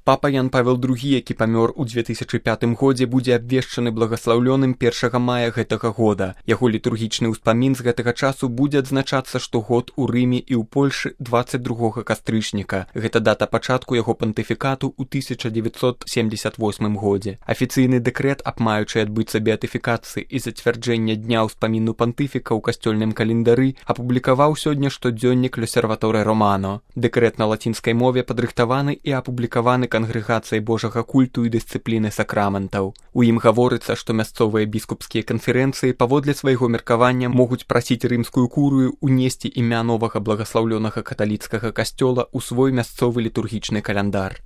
Папа Ян Павел II, які памёр у 2005 годзе, будзе абвешчаны благаслаўлёным 1 мая гэтага года. Яго літургічны ўспамін з гэтага часу будзе адзначацца штогод у Рыме і ў Польшы 22 кастрычніка. Гэта дата пачатку яго пантыфікату ў 1978 годзе. Афіцыйны дэкрэт аб маючай адбыцца беатыфікацыі і зацвярджэння дня ўспаміну пантыфіка ў касцёльным календары апублікаваў сёння штодзённік L'Osservatore Romano. Дэкрэт на лацінскай мове падрыхтаваны і апублікаваны Кангрэгацыяй Божага культу і дысцыпліны сакраментаў. У ім гаворыцца, што мясцовыя біскупскія канферэнцыі паводле свайго меркавання могуць прасіць рымскую курыю унесці імя новага благаслаўлёнага каталіцкага касцёла ў свой мясцовы літургічны каляндар.